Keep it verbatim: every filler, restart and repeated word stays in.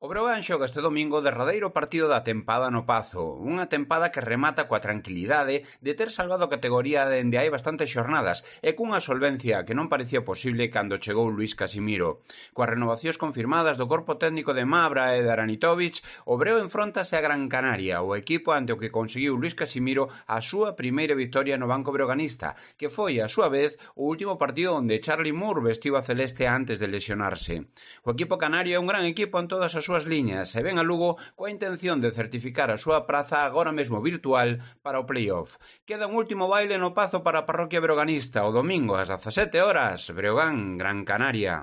O Breogán xoga este domingo o derradeiro partido da tempada no Pazo, unha tempada que remata coa tranquilidade de ter salvado a categoría dende hai bastantes xornadas e cunha solvencia que non parecía posible cando chegou Luís Casimiro. Coas renovacións confirmadas do corpo técnico de Mabra e de Aranitovic, o Breo enfróntase a Gran Canaria, o equipo ante o que conseguiu Luís Casimiro a súa primeira victoria no banco breoganista, que foi, a súa vez, o último partido onde Charlie Moore vestiu a celeste antes de lesionarse. O equipo canario é un gran equipo en todas as súas liñas e ven a Lugo coa intención de certificar a súa praza agora mesmo virtual para o playoff. Queda un último baile no Pazo para a parroquia breoganista o domingo ás dezasete horas, Breogán, Gran Canaria.